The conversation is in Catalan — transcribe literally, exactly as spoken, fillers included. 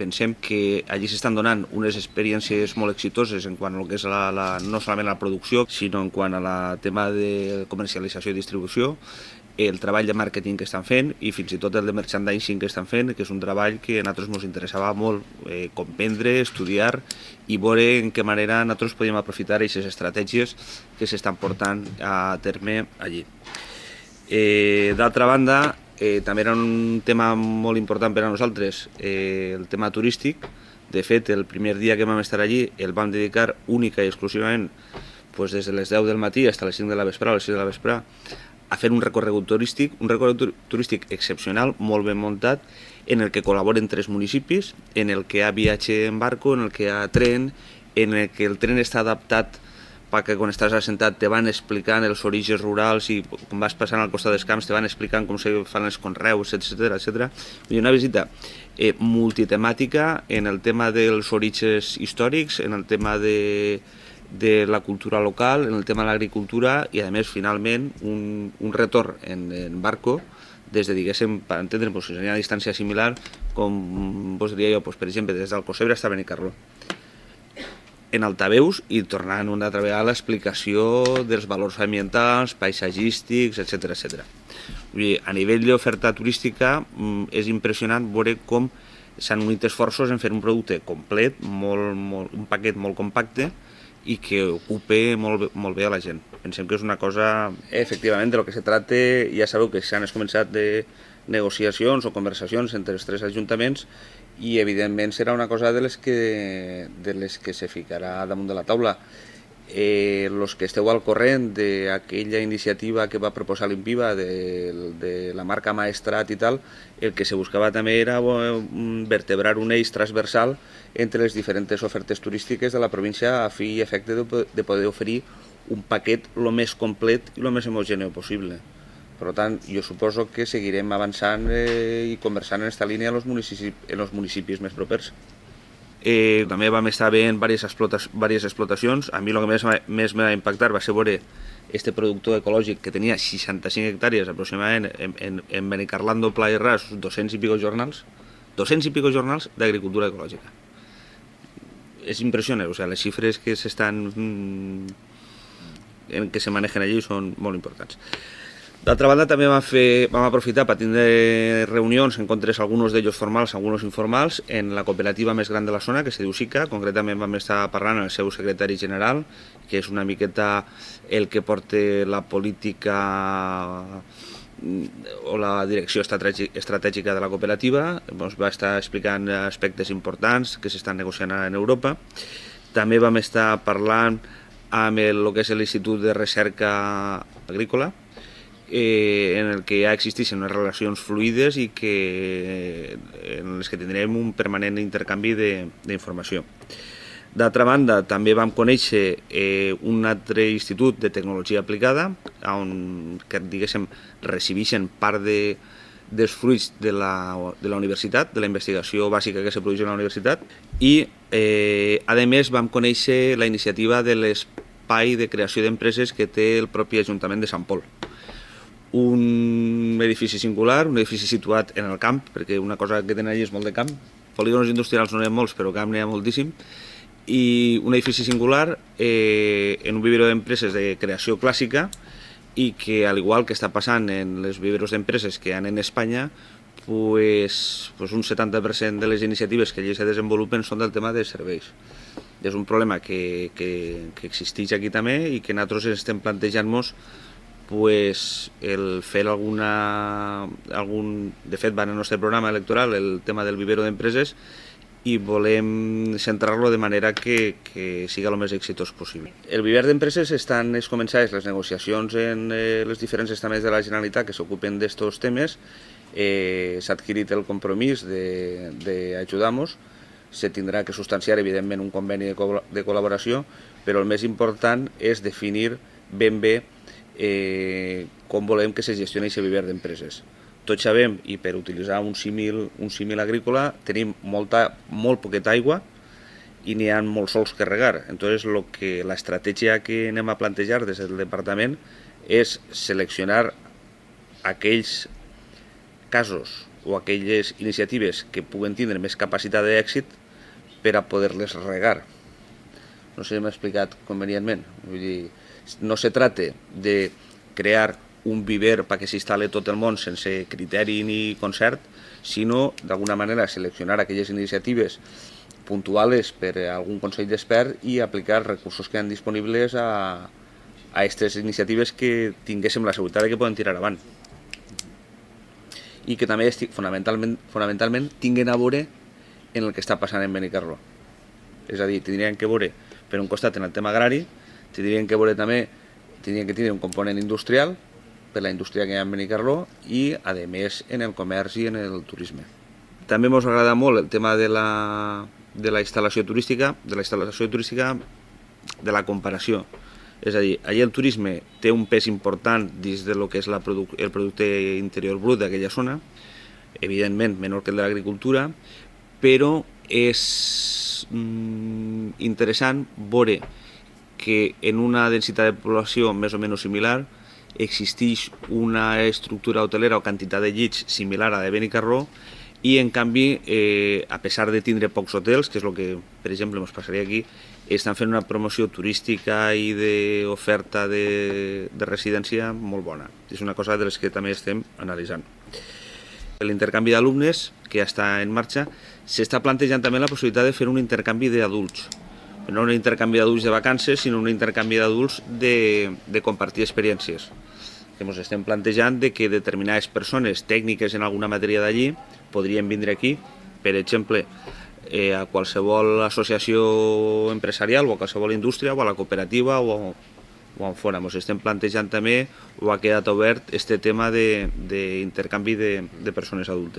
pensem que allí s'estan donant unes experiències molt exitoses en quant a lo que és la, la, no solament la producció, sinó en quant a la tema de comercialització i distribució, el treball de màrqueting que estan fent i fins i tot el de merchandising que estan fent, que és un treball que a nosaltres ens interessava molt eh, comprendre, estudiar i veure en què manera nosaltres podíem aprofitar aquestes estratègies que s'estan portant a terme allí. Eh, D'altra banda, eh, també era un tema molt important per a nosaltres, eh, el tema turístic. De fet, el primer dia que vam estar allí el vam dedicar única i exclusivament pues, des de les deu del matí fins a les cinc de la vesprada, a les sis de la vesprada, a fer un recorregut turístic, un recorregut turístic excepcional, molt ben muntat, en el que col·laboren tres municipis, en el que hi ha viatge en barco, en el que hi ha tren, en el que el tren està adaptat perquè quan estàs assentat te van explicant els orígens rurals i quan vas passant al costat dels camps te van explicant com se fan els conreus, etcètera, etcètera. Una visita eh, multitemàtica en el tema dels orígens històrics, en el tema de de la cultura local, en el tema de l'agricultura i, a més, finalment, un, un retorn en, en barco des de, diguéssim, per entendre, pues, seria una distància similar, com vos diria jo, pues, per exemple, des d'Alcocebre fins a Benicarló, en altaveus i tornant una altra vegada a l'explicació dels valors ambientals, paisatgístics, etcètera, etcètera. A nivell d'oferta turística és impressionant veure com s'han unit esforços en fer un producte complet, molt, molt, un paquet molt compacte, i que ocupe molt, molt bé a la gent. Pensem que és una cosa, efectivament, de lo que se tracta, ja sabeu que s'han començat de negociacions o conversacions entre els tres ajuntaments i, evidentment, serà una cosa de les que, de les que se ficarà damunt de la taula. Eh, los que esteu al corrent d'aquella iniciativa que va proposar l'Impiva de, de la marca Maestrat i tal, el que se buscava també era vertebrar un eix transversal entre les diferents ofertes turístiques de la província a fi i efecte de, de poder oferir un paquet el més complet i el més homogèneu possible. Per tant, jo suposo que seguirem avançant eh, i conversant en aquesta línia en els municipis, en els municipis més propers. Eh, també vam estar veient diverses, explota diverses explotacions. A mi el que més, més m'ha impactat va ser veure este productor ecològic que tenia seixanta-cinc hectàrees aproximadament en, en, en Benicarlando, Pla i Ras, dos-cents i pico jornals, dos-cents i pico jornals d'agricultura ecològica. És impressionant, o sea, les xifres que s'estan en que se manejen allí són molt importants. D'altra banda, també vam, fer, vam aprofitar per tindre reunions, encontres alguns d'ells formals, alguns informals, en la cooperativa més gran de la zona, que se diu SICA. Concretament vam estar parlant amb el seu secretari general, que és una miqueta el que porta la política o la direcció estratègica de la cooperativa. Ens va estar explicant aspectes importants que s'estan negociant en Europa. També vam estar parlant amb el, el que és l'Institut de Recerca Agrícola, Eh, en el que ja existeixen unes relacions fluides i que, en les que tindrem un permanent intercanvi d'informació. D'altra banda, també vam conèixer eh, un altre institut de tecnologia aplicada, on, que diguéssim, recibeixen part de, dels fruits de la, de la universitat, de la investigació bàsica que se produeix a la universitat, i eh, a més vam conèixer la iniciativa de l'espai de creació d'empreses que té el propi Ajuntament de Sant Pol. Un edifici singular, un edifici situat en el camp, perquè una cosa que tenen allà és molt de camp. Polígons industrials no n'hi ha molts, però camp n'hi ha moltíssim. I un edifici singular eh, en un vivero d'empreses de creació clàssica i que, al igual que està passant en les viveros d'empreses que hi ha en Espanya, pues, pues un setanta per cent de les iniciatives que allí se desenvolupen són del tema de serveis. És un problema que, que, que existeix aquí també i que nosaltres estem plantejant-nos pues, el fer alguna, algun... De fet, va en el nostre programa electoral el tema del vivero d'empreses i volem centrar-lo de manera que, que siga el més exitós possible. El viver d'empreses estan es començades les negociacions en eh, les diferents estaments de la Generalitat que s'ocupen d'estos temes. Eh, S'ha adquirit el compromís d'ajudar-nos. Se tindrà que substanciar, evidentment, un conveni de, co de col·laboració, però el més important és definir ben bé Eh, com volem que se gestioni aquest viver d'empreses. Tots sabem, i per utilitzar un símil, un símil agrícola, tenim molta, molt poqueta aigua i n'hi ha molts sols que regar. Entonces, lo que, la estratègia que anem a plantejar des del departament és seleccionar aquells casos o aquelles iniciatives que puguen tindre més capacitat d'èxit per a poder-les regar. No sé si m'he explicat convenientment. Vull dir, no se trata de crear un viver perquè s'instal·li tot el món sense criteri ni concert, sinó d'alguna manera seleccionar aquelles iniciatives puntuals per a algun consell d'expert i aplicar recursos que han disponibles a a aquestes iniciatives que tinguéssim la seguretat que poden tirar avant i que també fonamentalment, fonamentalment tinguen a veure en el que està passant en Benicarló. És a dir, tindrien que veure per un costat en el tema agrari, tindrien que veure també, tindrien que tindre un component industrial per la indústria que hi ha en Benicarló i, a més, en el comerç i en el turisme. També ens agrada molt el tema de la, de la instal·lació turística, de la instal·lació turística de la comparació. És a dir, allà el turisme té un pes important dins del que és la produ el producte interior brut d'aquella zona, evidentment menor que el de l'agricultura, però és mm, interessant veure que en una densitat de població més o menys similar existeix una estructura hotelera o quantitat de llits similar a la de Benicarló i en canvi, eh, a pesar de tindre pocs hotels, que és el que per exemple ens passaria aquí, estan fent una promoció turística i d'oferta de, de residència molt bona. És una cosa de les que també estem analitzant. L'intercanvi d'alumnes, que ja està en marxa, s'està plantejant també la possibilitat de fer un intercanvi d'adults. No un intercanvi d'adults de vacances, sinó un intercanvi d'adults de, de compartir experiències. Que ens estem plantejant de que determinades persones tècniques en alguna matèria d'allí podrien vindre aquí, per exemple, eh, a qualsevol associació empresarial o a qualsevol indústria o a la cooperativa o, o on fora. Ens estem plantejant també o ha quedat obert este tema d'intercanvi de, de, de persones adultes.